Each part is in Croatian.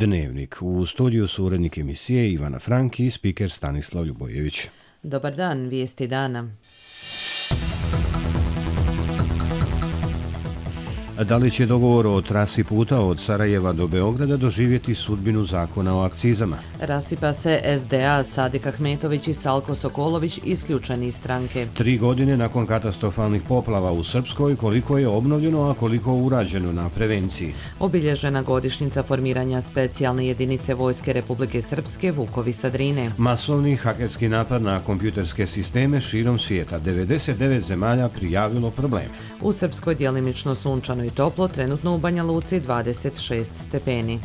Dnevnik. U studiju su urednik emisije Ivana Frank i spiker Stanislav Ljubojević. Dobar dan, vijesti dana. Da li će dogovor o trasi puta od Sarajeva do Beograda doživjeti sudbinu zakona o akcizama? Rasipa se SDA, Sadik Ahmetović i Salko Sokolović isključeni iz stranke. 3 godine nakon katastrofalnih poplava u Srpskoj, koliko je obnovljeno, a koliko urađeno na prevenciji? Obilježena godišnjica formiranja specijalne jedinice Vojske Republike Srpske Vukovi sa Drine. Masovni hakerski napad na kompjuterske sisteme širom svijeta. 99 zemalja prijavilo probleme. U Srpskoj djelimično sunčano i toplo, trenutno u Banja Luci 26 stepeni.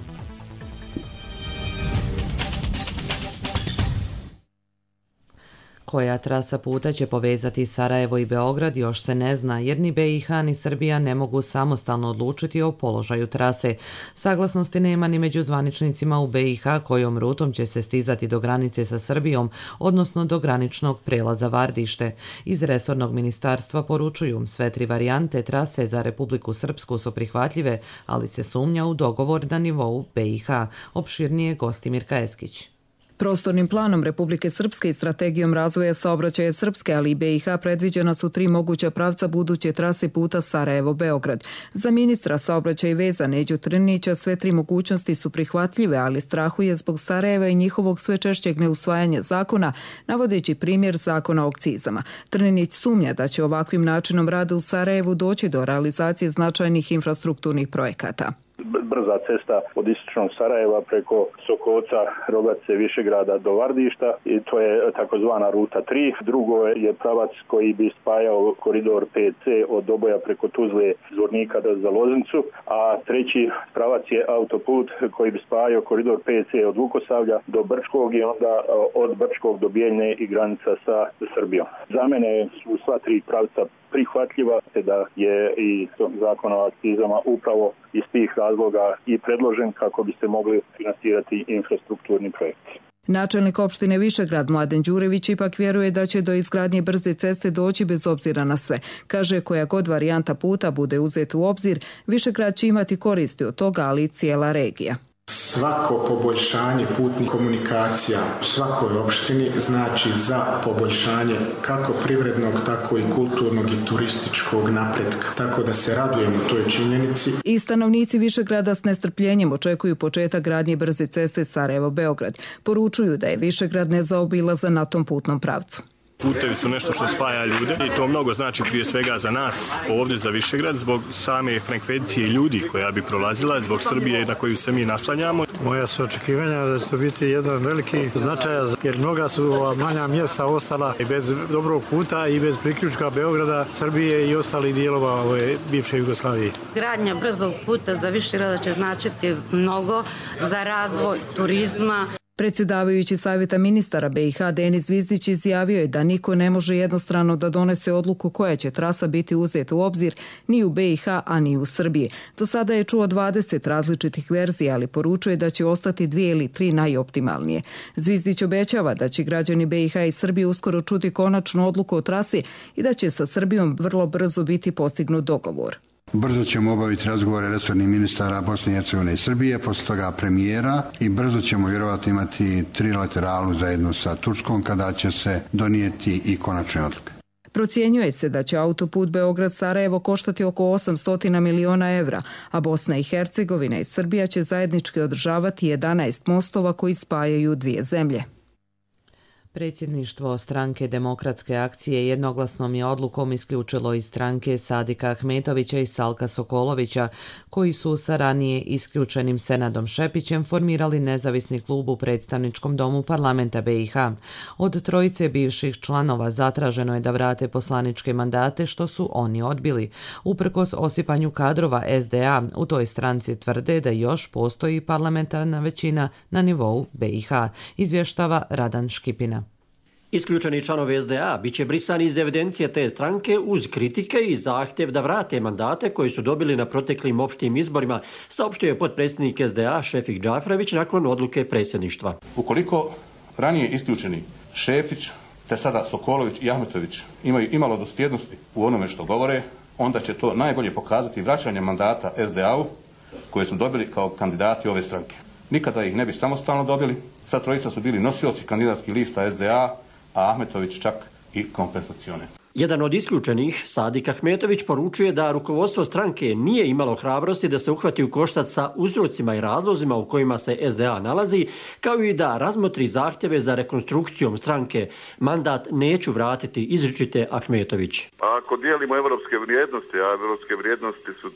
Koja trasa puta će povezati Sarajevo i Beograd još se ne zna, jer ni BiH ni Srbija ne mogu samostalno odlučiti o položaju trase. Saglasnosti nema ni među zvaničnicima u BiH kojom rutom će se stizati do granice sa Srbijom, odnosno do graničnog prelaza Vardište. Iz resornog ministarstva poručuju, sve 3 varijante trase za Republiku Srpsku su prihvatljive, ali se sumnja u dogovor na nivou BiH. Opširnije Gostimir Kajeskić. Prostornim planom Republike Srpske i strategijom razvoja saobraćaja Srpske, ali i BiH predviđena su 3 moguća pravca buduće trase puta Sarajevo-Beograd. Za ministra saobraćaja i veza Neđu Trnića sve 3 mogućnosti su prihvatljive, ali strahuje zbog Sarajeva i njihovog sve češćeg neusvajanja zakona, navodeći primjer zakona o akcizama. Trnić sumnja da će ovakvim načinom rada u Sarajevu doći do realizacije značajnih infrastrukturnih projekata. Brza cesta od istočnog Sarajeva preko Sokolca, Rogace, Višegrada do Vardišta i to je takozvana ruta 3. Drugo je pravac koji bi spajao koridor 5C od Doboja preko Tuzle, Zvornika za Loznicu, a treći pravac je autoput koji bi spajao koridor 5C od Vukosavlja do Brčkog i onda od Brčkog do Bijeljne i granica sa Srbijom. Za mene su sva 3 pravca prihvatljiva, te da je i zakon o akcizama upravo iz tih razloga i predložen kako bi se mogli finansirati infrastrukturni projekti. Načelnik opštine Višegrad Mladen Đurević ipak vjeruje da će do izgradnje brze ceste doći bez obzira na sve. Kaže, koja god varijanta puta bude uzeta u obzir, Višegrad će imati koristi od toga, ali i cijela regija. Svako poboljšanje putnih komunikacija u svakoj opštini znači za poboljšanje kako privrednog, tako i kulturnog i turističkog napretka. Tako da se radujemo toj činjenici. I stanovnici Višegrada s nestrpljenjem očekuju početak gradnje brze ceste Sarajevo-Beograd. Poručuju da je Višegrad nezaobilazan na tom putnom pravcu. Putevi su nešto što spaja ljude i to mnogo znači prije svega za nas ovdje za Višegrad zbog same frekvencije ljudi koja bi prolazila, zbog Srbije na koju se mi naslanjamo. Moja su očekivanja da će to biti jedan veliki značaj jer mnoga su manja mjesta ostala i bez dobrog puta i bez priključka Beograda, Srbije i ostalih dijelova ove bivše Jugoslavije. Gradnja brzog puta za Višegrada će značiti mnogo za razvoj turizma. Predsjedavajući Savjeta ministara BiH Denis Zvizdić izjavio je da niko ne može jednostrano da donese odluku koja će trasa biti uzeta u obzir ni u BiH, a ni u Srbiji. Do sada je čuo 20 različitih verzija, ali poručuje da će ostati 2 ili 3 najoptimalnije. Zvizdić obećava da će građani BiH i Srbije uskoro čuti konačnu odluku o trasi i da će sa Srbijom vrlo brzo biti postignut dogovor. Brzo ćemo obaviti razgovore resornih ministara Bosne i Hercegovine i Srbije, posle toga premijera i brzo ćemo vjerovatno imati trilateralu zajedno sa Turskom kada će se donijeti i konačne odluke. Procjenjuje se da će autoput Beograd-Sarajevo koštati oko 800 miliona evra, a Bosna i Hercegovina i Srbija će zajednički održavati 11 mostova koji spajaju 2 zemlje. Predsjedništvo stranke Demokratske akcije jednoglasnom je odlukom isključilo iz stranke Sadika Ahmetovića i Salka Sokolovića, koji su sa ranije isključenim Senadom Šepićem formirali nezavisni klub u predstavničkom domu parlamenta BiH. Od trojice bivših članova zatraženo je da vrate poslaničke mandate, što su oni odbili. Uprkos osipanju kadrova SDA, u toj stranci tvrde da još postoji parlamentarna većina na nivou BiH, izvještava Radan Škipina. Isključeni članovi SDA biće brisani iz evidencije te stranke uz kritike i zahtjev da vrate mandate koji su dobili na proteklim opštim izborima, saopštio je potpredsjednik SDA Šefik Džafrević nakon odluke predsjedništva. Ukoliko ranije isključeni Šefić, te sada Sokolović i Ahmetović imaju imalo dosljednosti u onome što govore, onda će to najbolje pokazati vraćanje mandata SDA-u koje su dobili kao kandidati ove stranke. nikada ih ne bi samostalno dobili. Sad trojica su bili nosioci kandidatskih lista SDA, a Ahmetović čak i kompensacione. Jedan od isključenih, Sadik Ahmetović, poručuje da rukovodstvo stranke nije imalo hrabrosti da se uhvati u koštac sa uzrocima i razlozima u kojima se SDA nalazi, kao i da razmotri zahtjeve za rekonstrukcijom stranke. Mandat neću vratiti, izričite Ahmetović. Ako dijelimo evropske vrijednosti, a evropske vrijednosti su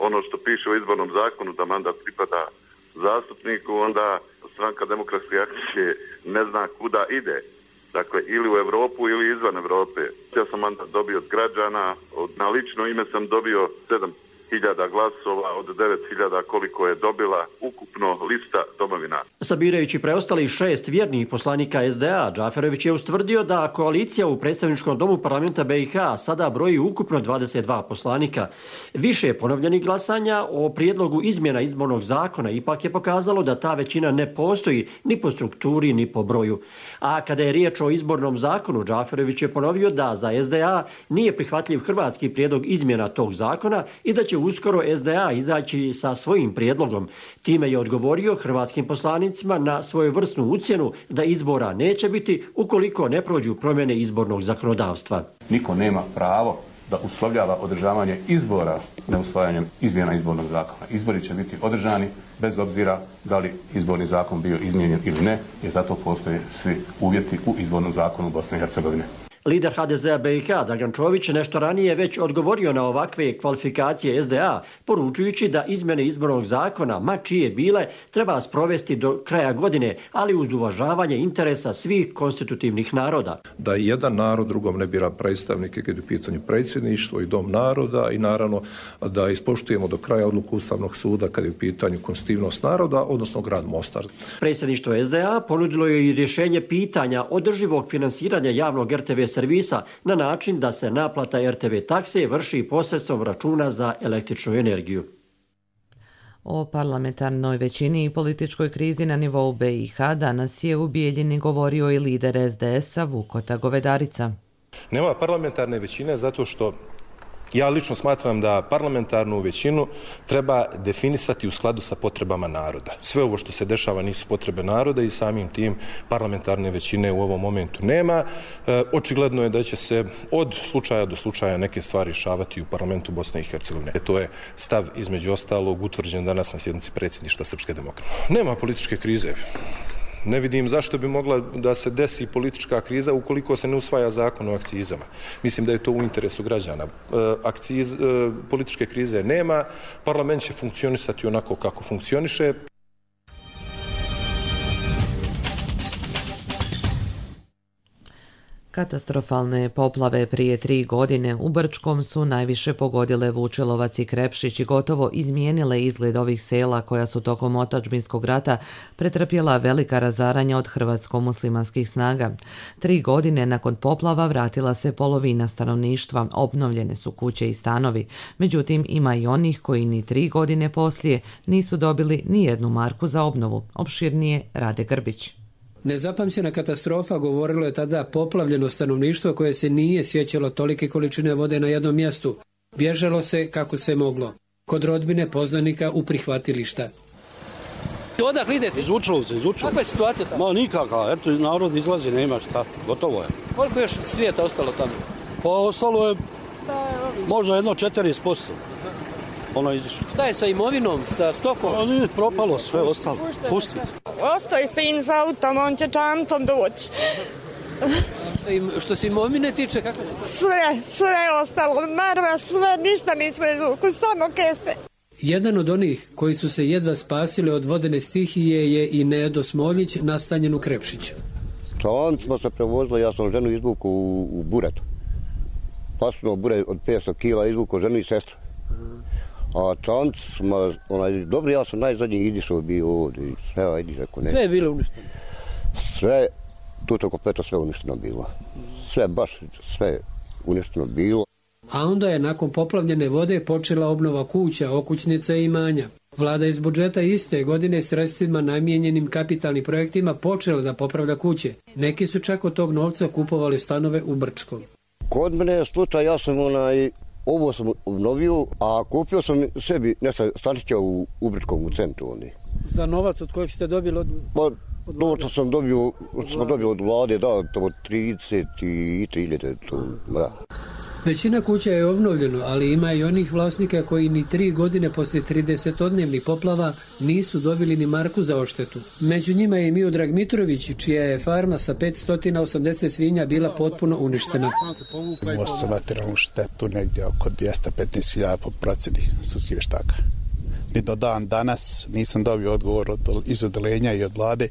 ono što piše u izbornom zakonu da mandat pripada zastupniku, onda Stranka demokratske akcije ne zna kuda ide. Dakle, ili u Europu ili izvan Europe. Ja sam mandat dobio od građana, na lično ime sam dobio 7.000 glasova od 9.000 koliko je dobila ukupno lista domovina. Sabirajući preostalih 6 vjernih poslanika SDA, Džaferović je ustvrdio da koalicija u predstavničkom domu parlamenta BiH sada broji ukupno 22 poslanika. Više ponovljenih glasanja o prijedlogu izmjena izbornog zakona ipak je pokazalo da ta većina ne postoji ni po strukturi ni po broju. A kada je riječ o izbornom zakonu, Džaferović je ponovio da za SDA nije prihvatljiv hrvatski prijedlog izmjena tog zakona i da će uskoro SDA izaći sa svojim prijedlogom. Time je odgovorio hrvatskim poslanicima na svojevrsnu ucjenu da izbora neće biti ukoliko ne prođu promjene izbornog zakonodavstva. Niko nema pravo da uslovljava održavanje izbora neusvajanjem izmjena izbornog zakona. Izbori će biti održani bez obzira da li izborni zakon bio izmijenjen ili ne, jer zato postoje svi uvjeti u izbornom zakonu Bosne i Hercegovine. Lider HDZ-a BiH, Dragan Čović, nešto ranije već odgovorio na ovakve kvalifikacije SDA, poručujući da izmjene izbornog zakona, ma čije bile, treba sprovesti do kraja godine, ali uz uvažavanje interesa svih konstitutivnih naroda. Da jedan narod drugom ne bira predstavnike kad je u pitanju predsjedništvo i dom naroda i naravno da ispoštujemo do kraja odluku Ustavnog suda kad je u pitanju konstitutivnost naroda, odnosno grad Mostar. Predsjedništvo SDA ponudilo je i rješenje pitanja održivog finansiranja javnog RTV servisa na način da se naplata RTV takse vrši posredstvom računa za električnu energiju. O parlamentarnoj većini i političkoj krizi na nivou BiH danas je u Bijeljini govorio i lider SDS-a Vukota Govedarica. Nema parlamentarne većine zato što ja lično smatram da parlamentarnu većinu treba definisati u skladu sa potrebama naroda. Sve ovo što se dešava nisu potrebe naroda i samim tim parlamentarne većine u ovom momentu nema. Očigledno je da će se od slučaja do slučaja neke stvari rješavati u parlamentu Bosne i Hercegovine. To je stav između ostalog utvrđen danas na sjednici predsjedništva Srpske demokrate. Nema političke krize. Ne vidim zašto bi mogla da se desi politička kriza ukoliko se ne usvaja zakon o akcizama. Mislim da je to u interesu građana. Političke krize nema, parlament će funkcionisati onako kako funkcioniše. Katastrofalne poplave prije 3 godine u Brčkom su najviše pogodile Vučelovac i Krepšić i gotovo izmijenile izgled ovih sela koja su tokom otadžbinskog rata pretrpjela velika razaranja od hrvatsko-muslimanskih snaga. 3 godine nakon poplava vratila se polovina stanovništva, obnovljene su kuće i stanovi. Međutim, ima i onih koji ni 3 godine poslije nisu dobili ni jednu marku za obnovu. Opširnije Rade Grbić. Nezapamćena katastrofa, govorilo je tada poplavljeno stanovništvo koje se nije sjećalo tolike količine vode na jednom mjestu. Bježalo se kako se moglo. Kod rodbine poznanika u prihvatilišta. Odakle idete? Iz Vučelovca. Kakva je situacija tamo? Ma nikakva, eto narod izlazi, nema šta, gotovo je. Koliko još svijeta ostalo tamo? Pa ostalo je možda 40%. Šta je sa imovinom, sa stokom? Pa nije propalo sve, ostalo. Pusti. Ostoji sin s autom, on će čamcom doći. Što se imovine tiče, kako je? Sve je ostalo, marva, sve, ništa nismo izvukli, samo kese. Jedan od onih koji su se jedva spasili od vodene stihije je i Nedo Smoljić, nastanjen u Krepšiću. Čavan smo se prevozili, ja sam ženu izvuku u buretu. Plasno bure od 500 kila izvuku ženu i sestru. A čanc, dobro, ja sam najzadnji izišao bio ovdje. Sve je bilo uništeno? Sve, tu kompletno sve uništeno bilo. Sve uništeno bilo. A onda je nakon poplavljene vode počela obnova kuća, okućnica i imanja. Vlada iz budžeta iste godine sredstvima namijenjenim kapitalnim projektima počela da popravlja kuće. Neki su čak od tog novca kupovali stanove u Brčkom. Kod mene je slučaj, ja sam ovo sam obnovio, a kupio sam sebi nešto stanića u Brčkom u centru. Za novac od kojeg ste dobili od... Novca smo dobili od vlade, da, tamo 33.000, da. Većina kuća je obnovljeno, ali ima i onih vlasnika koji ni 3 godine poslije 30-odnevnih poplava nisu dobili ni marku za odštetu. Među njima je i Miodrag Mitrović, čija je farma sa 580 svinja bila potpuno uništena. Imao sam materijalnu štetu negdje oko 215.000 po procjeni sudskih vještaka. Ni do dan danas nisam dobio odgovor iz odelenja i od vlade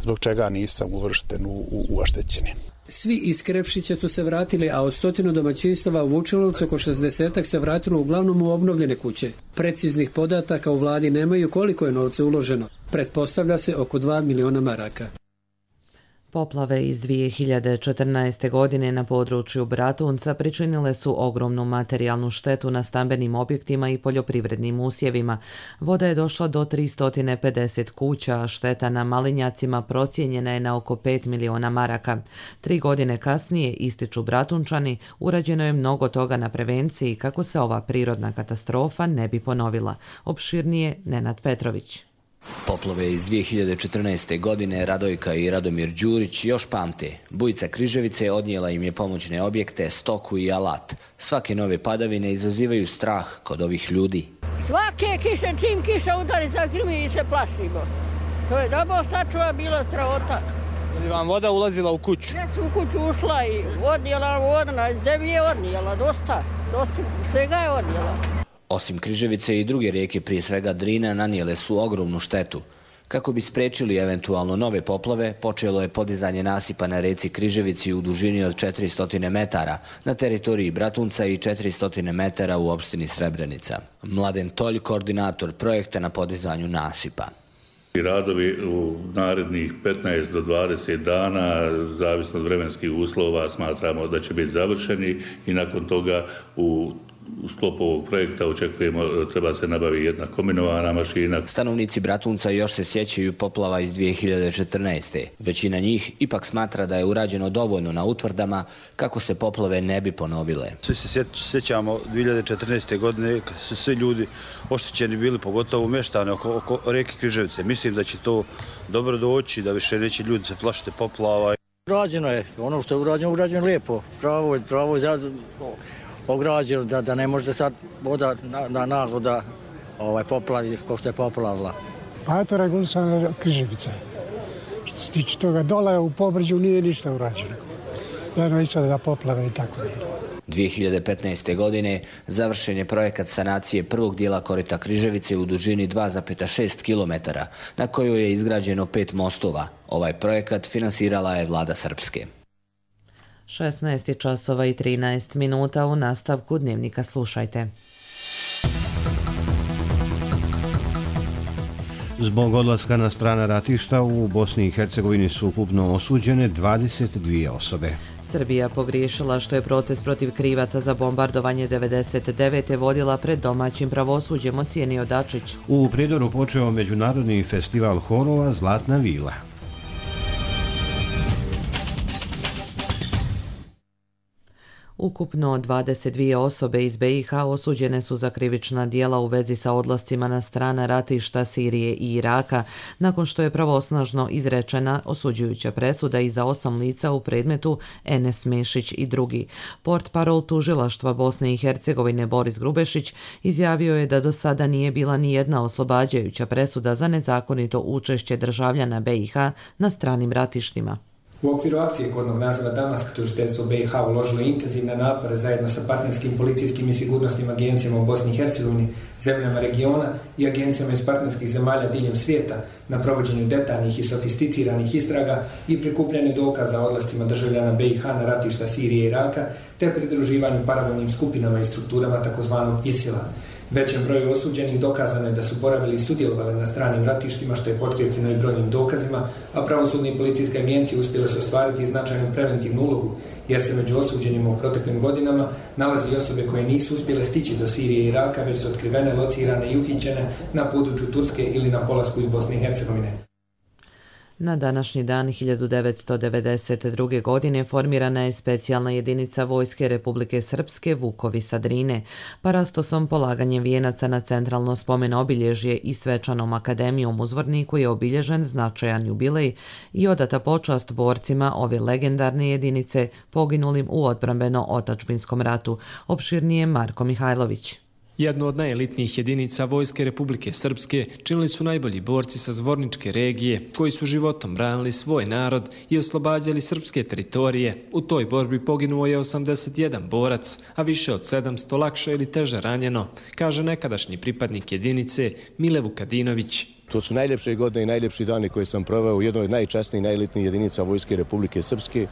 zbog čega nisam uvršten u oštećenje. Svi iz Krepšića su se vratili, a od 100 domaćinstava u Vučelovcu oko 60 se vratilo uglavnom u obnovljene kuće. Preciznih podataka u vladi nemaju koliko je novca uloženo. Pretpostavlja se oko 2 miliona maraka. Poplave iz 2014. godine na području Bratunca pričinile su ogromnu materijalnu štetu na stambenim objektima i poljoprivrednim usjevima. Voda je došla do 350 kuća, a šteta na Malinjacima procijenjena je na oko 5 miliona maraka. 3 godine kasnije, ističu Bratunčani, urađeno je mnogo toga na prevenciji kako se ova prirodna katastrofa ne bi ponovila. Opširnije Nenad Petrović. Poplave iz 2014. godine Radojka i Radomir Đurić još pamte. Bujica Križevice odnijela im je pomoćne objekte, stoku i alat. Svake nove padavine izazivaju strah kod ovih ljudi. Svake kiše, čim kiša udari, zagrmi i se plašimo. To je da Bog sačuva bila strahota. Je li vam voda ulazila u kuću? Ja sam u kuću ušla i odnijela voda, zemlje je odnijela, dosta svega je odnijela. Osim Križevice i druge rijeke, prije svega Drina, nanijele su ogromnu štetu. Kako bi spriječili eventualno nove poplave, počelo je podizanje nasipa na reci Križevici u dužini od 400 metara na teritoriji Bratunca i 400 metara u opštini Srebrenica. Mladen Tolj, koordinator projekta na podizanju nasipa. Radovi u narednih 15 do 20 dana, zavisno od vremenskih uslova, smatramo da će biti završeni i nakon toga u sklopu ovog projekta očekujemo treba se nabavi jedna kombinovana mašina. Stanovnici Bratunca još se sjećaju poplava iz 2014. Većina njih ipak smatra da je urađeno dovoljno na utvrdama kako se poplave ne bi ponovile. Svi se sjećamo 2014. godine kad su svi ljudi oštećeni bili, pogotovo mještani oko rijeke Križevice. Mislim da će to dobro doći, da više neće ljudi se plašiti poplava. Urađeno je, ono što je urađeno lijepo, pravo ograđeno, da ne može sad voda naglo da poplavi kao što je poplavila. Pa eto regulisana Križevica. Što se tiče toga dole u Pobrđu nije ništa urađeno. Jedno ispada da poplave i tako dalje. 2015. godine završen je projekat sanacije prvog dijela korita Križevice u dužini 2,6 km, na kojoj je izgrađeno 5 mostova. Ovaj projekat finansirala je vlada Srpske. 16 časova i 13 minuta, u nastavku Dnevnika slušajte. Zbog odlaska na strana ratišta u Bosni i Hercegovini su ukupno osuđene 22 osobe. Srbija pogriješila što je proces protiv krivaca za bombardovanje 99. vodila pred domaćim pravosuđem, ocijenio Dačić. U Prijedoru počeo međunarodni festival horova Zlatna vila. Ukupno 22 osobe iz BiH osuđene su za krivična djela u vezi sa odlascima na strana ratišta Sirije i Iraka, nakon što je pravosnažno izrečena osuđujuća presuda i za 8 lica u predmetu Enes Mešić i drugi. Portparol tužilaštva Bosne i Hercegovine Boris Grubešić izjavio je da do sada nije bila ni jedna oslobađajuća presuda za nezakonito učešće državljana BiH na stranim ratištima. U okviru akcije kodnog naziva Damask, tužiteljstvo BiH uložilo intenzivne napore zajedno sa partnerskim policijskim i sigurnosnim agencijama u Bosni i Hercegovini, zemljama regiona i agencijama iz partnerskih zemalja diljem svijeta na provođenju detaljnih i sofisticiranih istraga i prikupljanju dokaza o odlascima državljana BiH na ratišta Sirije i Iraka, te pridruživanju paravojnim skupinama i strukturama takozvanog ISIL-a. Većem broju osuđenih dokazano je da su boravili i sudjelovali na stranim ratištima, što je potkrijepljeno i brojnim dokazima, a pravosudne i policijske agencije uspjele su ostvariti značajnu preventivnu ulogu, jer se među osuđenima u proteklim godinama nalazi i osobe koje nisu uspjele stići do Sirije i Iraka, već su otkrivene, locirane i uhićene na području Turske ili na polasku iz Bosne i Hercegovine. Na današnji dan 1992. godine formirana je specijalna jedinica Vojske Republike Srpske Vukovi sa Drine. Parastosom polaganjem vijenaca na centralno spomen obilježje i svečanom akademijom u Zvorniku je obilježen značajan jubilej i odata počast borcima ove legendarne jedinice poginulim u odbrambeno-otačbinskom ratu. Opširnije Marko Mihajlović. Jednu od najelitnijih jedinica Vojske Republike Srpske činili su najbolji borci sa Zvorničke regije, koji su životom branili svoj narod i oslobađali srpske teritorije. U toj borbi poginuo je 81 borac, a više od 700 lakše ili teže ranjeno, kaže nekadašnji pripadnik jedinice Mile Vukadinović. To su najljepše godine i najljepši dani koje sam proveo u jednoj od najčasnijih i najelitnijih jedinica Vojske Republike Srpske,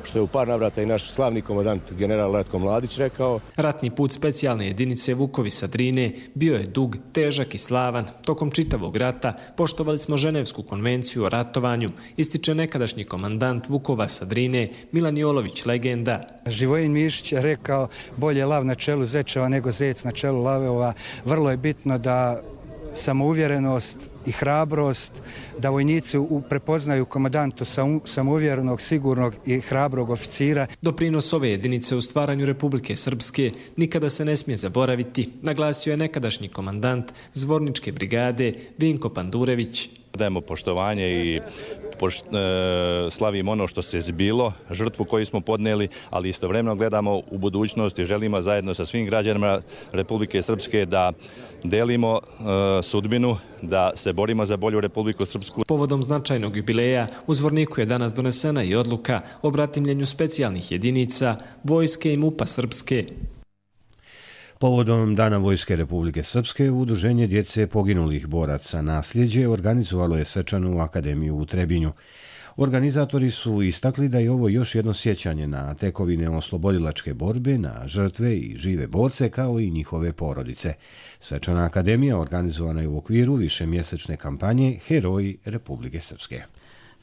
što je u par navrata i naš slavni komandant general Ratko Mladić rekao. Ratni put specijalne jedinice Vukovi sa Drine bio je dug, težak i slavan. Tokom čitavog rata poštovali smo Ženevsku konvenciju o ratovanju, ističe nekadašnji komandant Vukova sa Drine Milan Jolović, legenda. Živojin Mišić je rekao bolje lav na čelu zečeva nego zec na čelu lavova. Vrlo je bitno da samouvjerenost i hrabrost, da vojnici prepoznaju komandantu samouvjerenog, sigurnog i hrabrog oficira. Doprinos ove jedinice u stvaranju Republike Srpske nikada se ne smije zaboraviti, naglasio je nekadašnji komandant Zvorničke brigade Vinko Pandurević. Dajemo poštovanje i slavimo ono što se zbilo, žrtvu koju smo podnijeli, ali istovremeno gledamo u budućnost i želimo zajedno sa svim građanima Republike Srpske da delimo sudbinu, da se borimo za bolju Republiku Srpsku. Povodom značajnog jubileja u Zvorniku je danas donesena i odluka o bratimljenju specijalnih jedinica Vojske i MUP-a Srpske. Povodom Dana Vojske Republike Srpske, Udruženje djece poginulih boraca Nasljeđe organizovalo je svečanu akademiju u Trebinju. Organizatori su istakli da je ovo još jedno sjećanje na tekovine oslobodilačke borbe, na žrtve i žive borce kao i njihove porodice. Svečana akademija organizovana je u okviru višemjesečne kampanje Heroji Republike Srpske.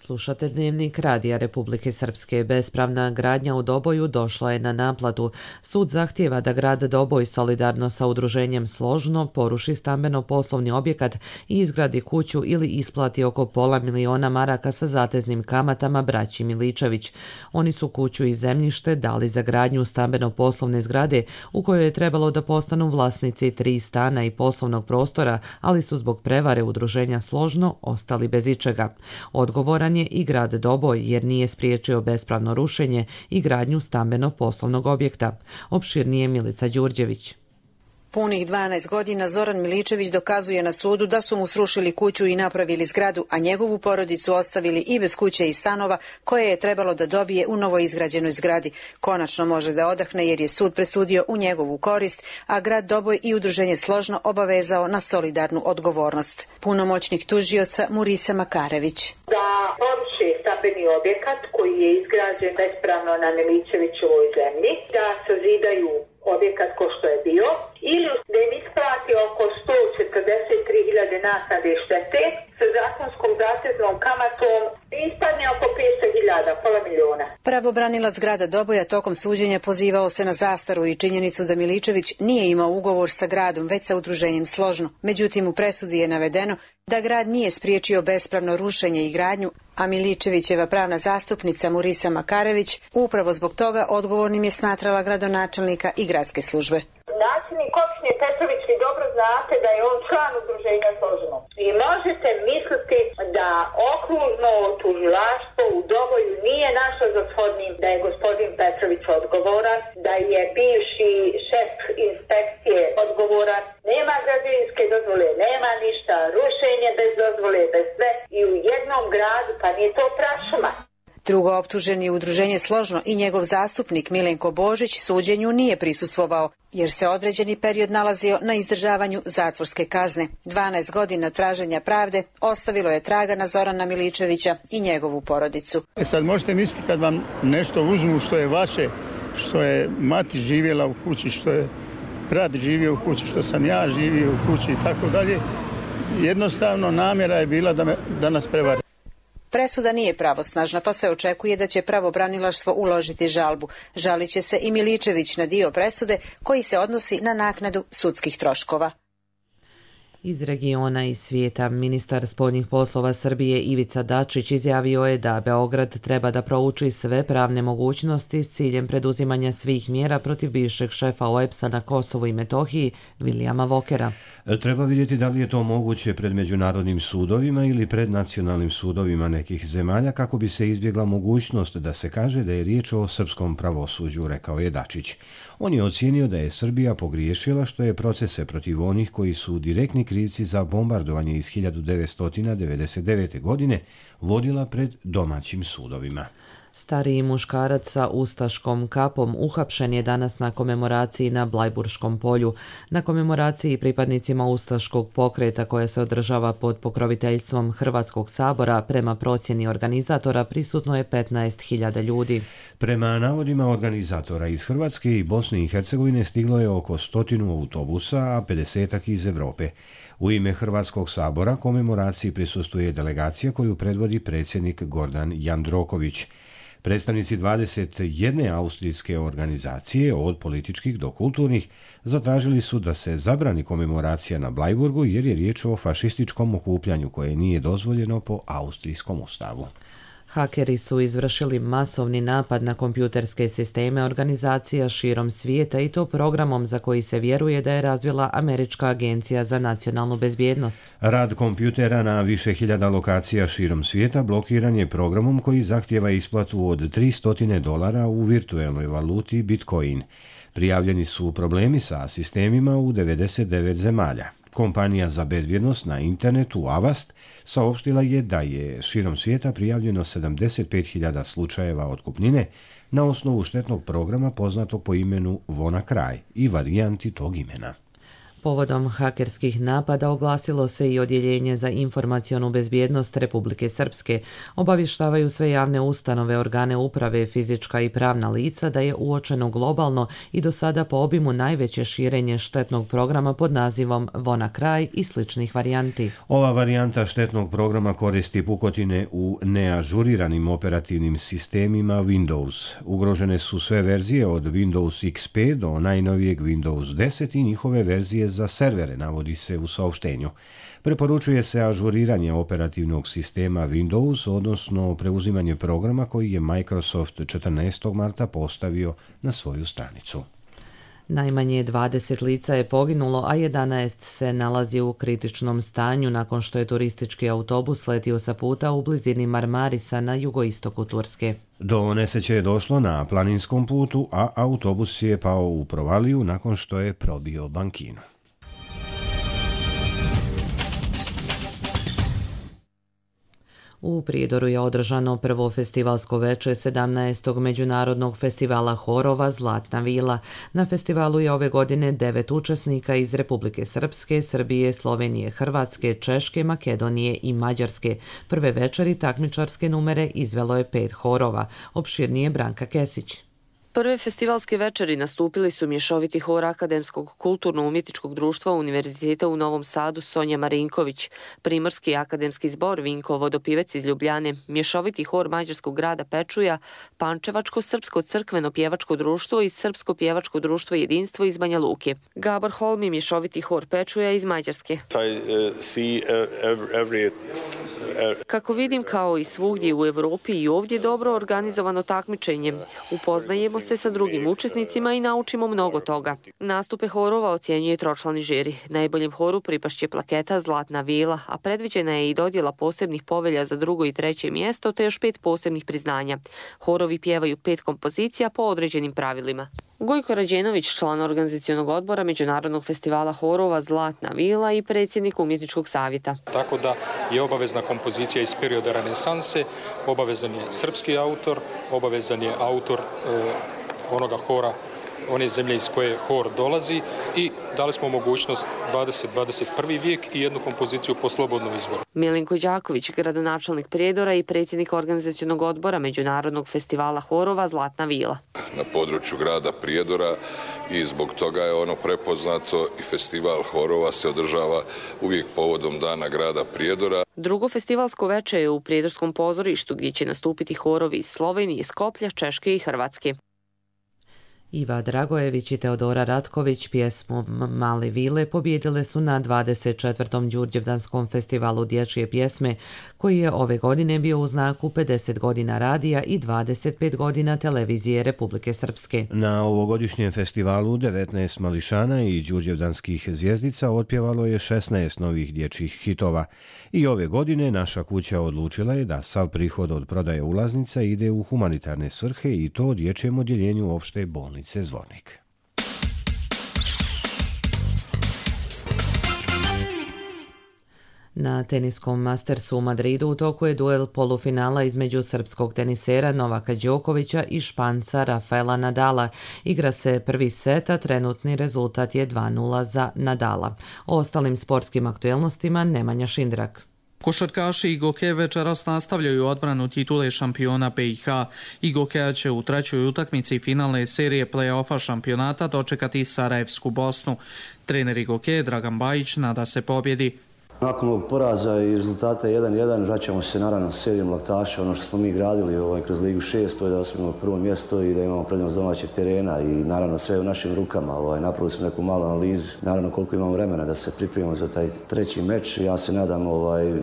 Slušate Dnevnik Radija Republike Srpske. Bespravna gradnja u Doboju došla je na naplatu. Sud zahtijeva da grad Doboj solidarno sa udruženjem Složno poruši stambeno-poslovni objekat i izgradi kuću ili isplati oko $500.000 maraka sa zateznim kamatama braći Miličević. Oni su kuću i zemljište dali za gradnju stambeno-poslovne zgrade u kojoj je trebalo da postanu vlasnici 3 stana i poslovnog prostora, ali su zbog prevare udruženja Složno ostali bez ičega. Odgovoran je i grad Doboj jer nije spriječio bespravno rušenje i gradnju stambeno-poslovnog objekta. Opširnije Milica Đurđević. Punih 12 godina Zoran Miličević dokazuje na sudu da su mu srušili kuću i napravili zgradu, a njegovu porodicu ostavili i bez kuće i stanova koje je trebalo da dobije u novoizgrađenoj zgradi. Konačno može da odahne jer je sud presudio u njegovu korist, a grad Doboj i udruženje Složno obavezao na solidarnu odgovornost. Punomoćnik tužioca Murisa Makarević. Da poruši stambeni objekat koji je izgrađen bespravno na Miličevićevoj zemlji, da sazidaju objekat ko što je bio, ili da im isplati oko 143.000 naknade štete sa zakonskom zateznom kamatom ispadne oko 500.000, $500.000. Pravobranilac grada Doboja tokom suđenja pozivao se na zastaru i činjenicu da Miličević nije imao ugovor sa gradom, već sa udruženjem Složno. Međutim, u presudi je navedeno da grad nije spriječio bespravno rušenje i gradnju, a Miličevićeva pravna zastupnica Murisa Makarević upravo zbog toga odgovornim je smatrala gradonačelnika i gradske službe. Načelnik opštine Petrović, vi dobro znate da je on član udruženja Složno. I možete misliti da okružno tužilaštvo u Doboju nije našlo za shodnim da je gospodin Petrović odgovoran, da je bivši šef inspekcije odgovoran. Nema građevinske dozvole, nema ništa, rušenje bez dozvole, bez sve i u jednom gradu, pa nije to prašuma. Drugo optuženi je udruženje Složno i njegov zastupnik Milenko Božić suđenju nije prisustvovao, jer se određeni period nalazio na izdržavanju zatvorske kazne. 12 godina traženja pravde ostavilo je traga na Zorana Miličevića i njegovu porodicu. Sad možete misliti kad vam nešto uzmu što je vaše, što je mati živjela u kući, što je brat živio u kući, što sam ja živio u kući i tako dalje. Jednostavno namjera je bila da nas prevari. Presuda nije pravosnažna, pa se očekuje da će pravobranilaštvo uložiti žalbu. Žalit će se i Miličević na dio presude koji se odnosi na naknadu sudskih troškova. Iz regiona i svijeta, ministar spoljnih poslova Srbije Ivica Dačić izjavio je da Beograd treba da prouči sve pravne mogućnosti s ciljem preduzimanja svih mjera protiv bivšeg šefa OEBS-a na Kosovu i Metohiji, Vilijama Vokera. Treba vidjeti da li je to moguće pred međunarodnim sudovima ili pred nacionalnim sudovima nekih zemalja kako bi se izbjegla mogućnost da se kaže da je riječ o srpskom pravosuđu, rekao je Dačić. On je ocijenio da je Srbija pogriješila što je procese protiv onih koji su direktni krivci za bombardovanje iz 1999. godine vodila pred domaćim sudovima. Stariji muškarac sa ustaškom kapom uhapšen je danas na komemoraciji na Blajburškom polju. Na komemoraciji pripadnicima ustaškog pokreta koja se održava pod pokroviteljstvom Hrvatskog sabora, prema procjeni organizatora prisutno je 15.000 ljudi. Prema navodima organizatora iz Hrvatske i Bosne i Hercegovine stiglo je oko 100 autobusa, a 50 iz Europe. U ime Hrvatskog sabora komemoraciji prisustvuje delegacija koju predvodi predsjednik Gordan Jandroković. Predstavnici 21 austrijske organizacije, od političkih do kulturnih, zatražili su da se zabrani komemoracija na Blajburgu jer je riječ o fašističkom okupljanju koje nije dozvoljeno po austrijskom ustavu. Hakeri su izvršili masovni napad na kompjuterske sisteme organizacija širom svijeta i to programom za koji se vjeruje da je razvila Američka agencija za nacionalnu bezbjednost. Rad kompjutera na više hiljada lokacija širom svijeta blokiran je programom koji zahtijeva isplatu od $300 u virtuelnoj valuti Bitcoin. Prijavljeni su problemi sa sistemima u 99 zemalja. Kompanija za bezbjednost na internetu Avast saopštila je da je širom svijeta prijavljeno 75.000 slučajeva otkupnine na osnovu štetnog programa poznatog po imenu WannaCry i varijanti tog imena. Povodom hakerskih napada oglasilo se i Odjeljenje za informacionu bezbjednost Republike Srpske. Obavještavaju sve javne ustanove, organe uprave, fizička i pravna lica da je uočeno globalno i do sada po obimu najveće širenje štetnog programa pod nazivom WannaCry i sličnih varijanti. Ova varijanta štetnog programa koristi pukotine u neažuriranim operativnim sistemima Windows. Ugrožene su sve verzije od Windows XP do najnovijeg Windows 10 i njihove verzije za servere, navodi se u saopštenju. Preporučuje se ažuriranje operativnog sistema Windows, odnosno preuzimanje programa koji je Microsoft 14. marta postavio na svoju stranicu. Najmanje 20 lica je poginulo, a 11 se nalazi u kritičnom stanju nakon što je turistički autobus letio sa puta u blizini Marmarisa na jugoistoku Turske. Do nesreće je došlo na planinskom putu, a autobus je pao u provaliju nakon što je probio bankinu. U Prijedoru je održano prvo festivalsko veče 17. međunarodnog festivala horova Zlatna vila. Na festivalu je ove godine 9 učesnika iz Republike Srpske, Srbije, Slovenije, Hrvatske, Češke, Makedonije i Mađarske. Prve večeri takmičarske numere izvelo je 5 horova. Opširnije Branka Kesić. Prve festivalske večeri nastupili su mješoviti hor Akademskog kulturno-umjetničkog društva Univerziteta u Novom Sadu Sonja Marinković, Primorski akademski zbor Vinko Vodopivec iz Ljubljane, mješoviti hor Mađarskog grada Pečuja, Pančevačko srpsko crkveno pjevačko društvo i Srpsko pjevačko društvo Jedinstvo iz Banja Luke. Gabor Holmi, mješoviti hor Pečuja iz Mađarske. Kako vidim, kao i svugdje u Evropi i ovdje dobro organizovano takmičenje. Upoznajemo se sa drugim učesnicima i naučimo mnogo toga. Nastupe horova ocjenjuje tročlani žiri. Najboljem horu pripašće plaketa Zlatna vila, a predviđena je i dodjela posebnih povelja za drugo i treće mjesto, te još 5 posebnih priznanja. Horovi pjevaju 5 kompozicija po određenim pravilima. Gojko Rađenović, član organizacionog odbora Međunarodnog festivala horova Zlatna vila i predsjednik umjetničkog savjeta. Tako da je obavezna kompozicija iz perioda renesanse, obavezan je srpski autor, obavezan je autor onoga hora, one zemlje iz koje hor dolazi i dali smo mogućnost 20-21. vijek i jednu kompoziciju po slobodnom izboru. Milenko Đaković, gradonačelnik Prijedora i predsjednik organizacionog odbora Međunarodnog festivala horova Zlatna vila. Na području grada Prijedora i zbog toga je ono prepoznato i festival horova se održava uvijek povodom dana grada Prijedora. Drugo festivalsko veče je u Prijedorskom pozorištu gdje će nastupiti horovi iz Slovenije, Skoplja, Češke i Hrvatske. Iva Dragojević i Teodora Ratković pjesmom Male vile pobijedile su na 24. Đurđevdanskom festivalu dječje pjesme, koji je ove godine bio u znaku 50 godina radija i 25 godina televizije Republike Srpske. Na ovogodišnjem festivalu 19 mališana i đurđevdanskih zvjezdica otpjevalo je 16 novih dječjih hitova. I ove godine naša kuća odlučila je da sav prihod od prodaje ulaznica ide u humanitarne svrhe i to dječjem odjeljenju opšte bolnice Zvornik. Na teniskom Mastersu u Madridu u toku je duel polufinala između srpskog tenisera Novaka Đokovića i Španca Rafaela Nadala. Igra se prvi set, a trenutni rezultat je 2:0 za Nadala. O ostalim sportskim aktuelnostima Nemanja Šindrak. Košarkaši Igoke večeras nastavljaju odbranu titule šampiona BiH. Igokeja će u trećoj utakmici finalne serije play-offa šampionata dočekati Sarajevsku Bosnu. Trener Igoke Dragan Bajić nada se pobjedi. Nakon ovog poraza i rezultata 1:1 vraćamo se naravno s serijom laktaša. Ono što smo mi gradili kroz Ligu 6, to je da osvojimo prvo mjesto i da imamo prednost domaćeg terena i naravno sve u našim rukama. Napravili smo neku malu analizu, naravno koliko imamo vremena da se pripremimo za taj treći meč. Ja se nadam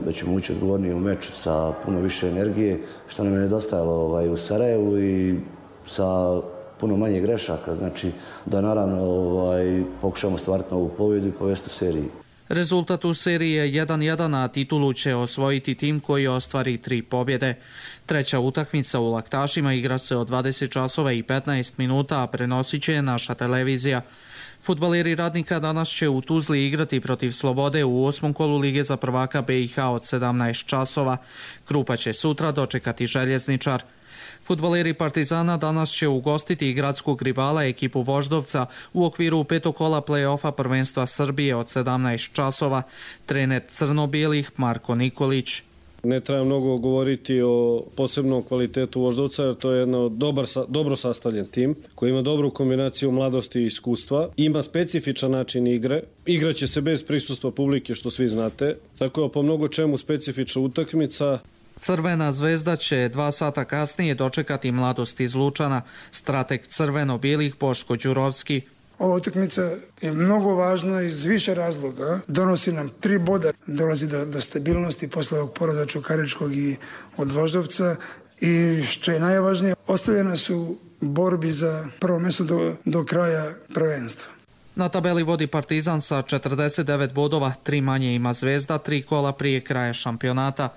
da ćemo ući odgovornije u meč sa puno više energije, što nam je nedostajalo u Sarajevu i sa puno manje grešaka. Znači da naravno pokušamo stvariti novu pobjedu i povesti u seriji. Rezultat u seriji je 1:1, a titulu će osvojiti tim koji ostvari 3 pobjede. Treća utakmica u laktašima igra se od 20 časova i 15 minuta, a prenosit će naša televizija. Fudbaleri Radnika danas će u Tuzli igrati protiv Slobode u 8. kolu Lige za prvaka BiH od 17 časova. Krupa će sutra dočekati Željezničar. Fudbaleri Partizana danas će ugostiti gradskog rivala ekipu Voždovca u okviru 5. kola play-offa prvenstva Srbije od 17 časova. Trener crno-bijelih Marko Nikolić. Ne treba mnogo govoriti o posebnom kvalitetu Voždovca, jer to je jedan dobro sastavljen tim koji ima dobru kombinaciju mladosti i iskustva. Ima specifičan način igre. Igraće se bez prisustva publike, što svi znate. Tako je po mnogo čemu specifična utakmica. Crvena zvezda će 2 sata kasnije dočekati Mladost iz Lučana. Strateg crveno-bijelih Boško Đurovski. Ova utakmica je mnogo važna iz više razloga. Donosi nam 3 boda, dolazi do stabilnosti posle ovog poraza Čukaričkog i od Voždovca. I što je najvažnije, ostavljena su borbi za prvo mjesto do kraja prvenstva. Na tabeli vodi Partizan sa 49 bodova, 3 manje ima Zvezda, 3 kola prije kraja šampionata.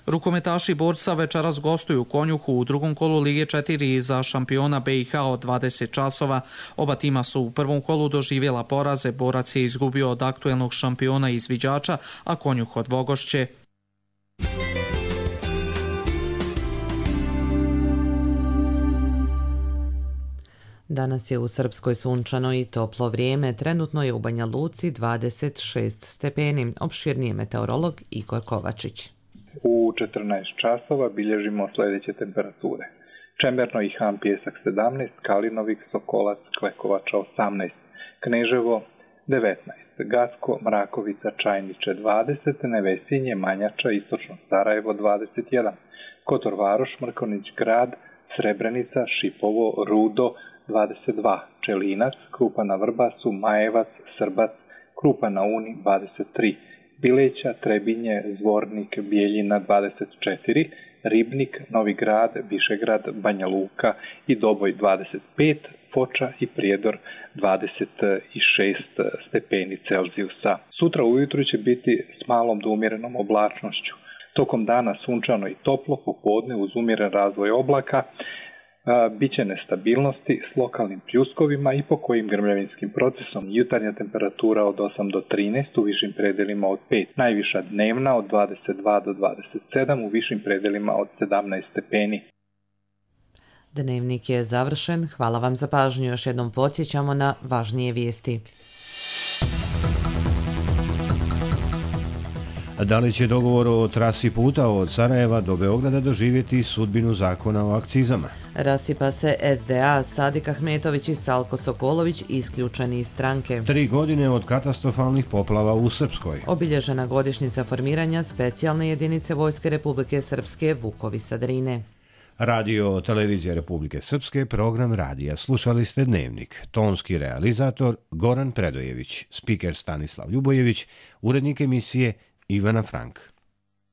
Rukometaši Borca večeras gostuju u Konjuhu u 2. kolu Lige 4 za šampiona BiH od 20 časova. Oba tima su u prvom kolu doživjela poraze, Borac je izgubio od aktuelnog šampiona izviđača, a Konjuh od Vogošće. Danas je u Srpskoj sunčano i toplo vrijeme. Trenutno je u Banja Luci 26 stepeni. Opširnije meteorolog Igor Kovačić. U 14 časova bilježimo sljedeće temperature. Čemerno i Han Pjesak 17, Kalinovik, Sokolac, Klekovača 18, Kneževo 19, Gasko, Mrakovica, Čajniče 20, Nevesinje, Manjača, Istočno Sarajevo 21, Kotor Varoš, Mrkonić Grad, Srebrenica, Šipovo, Rudo 22, Čelinac, Krupa na Vrbasu, Majevac, Srbac, Krupa na Uni 23, Bileća, Trebinje, Zvornik, Bijeljina 24, Ribnik, Novi Grad, Višegrad, Banja Luka i Doboj 25, Foča i Prijedor 26 stepeni Celzijusa. Sutra ujutru će biti s malom do umjerenom oblačnošću. Tokom dana sunčano i toplo, popodne uz umjeren razvoj oblaka, biće nestabilnosti s lokalnim pljuskovima i pokojim grmljavinskim procesom. Jutarnja temperatura od 8 do 13, u višim predelima od 5. Najviša dnevna od 22 do 27, u višim predelima od 17 stepeni. Dnevnik je završen. Hvala vam za pažnju. Još jednom podsjećamo na važnije vijesti. Da li će dogovor o trasi puta od Sarajeva do Beograda doživjeti sudbinu zakona o akcizama? Rasipa se SDA, Sadik Ahmetović i Salko Sokolović isključeni iz stranke. 3 godine od katastrofalnih poplava u Srpskoj. Obilježena godišnjica formiranja specijalne jedinice Vojske Republike Srpske Vukovi sa Drine. Radio Televizija Republike Srpske, program radija. Slušali ste Dnevnik. Tonski realizator Goran Predojević, spiker Stanislav Ljubojević, urednik emisije Ivana Frank.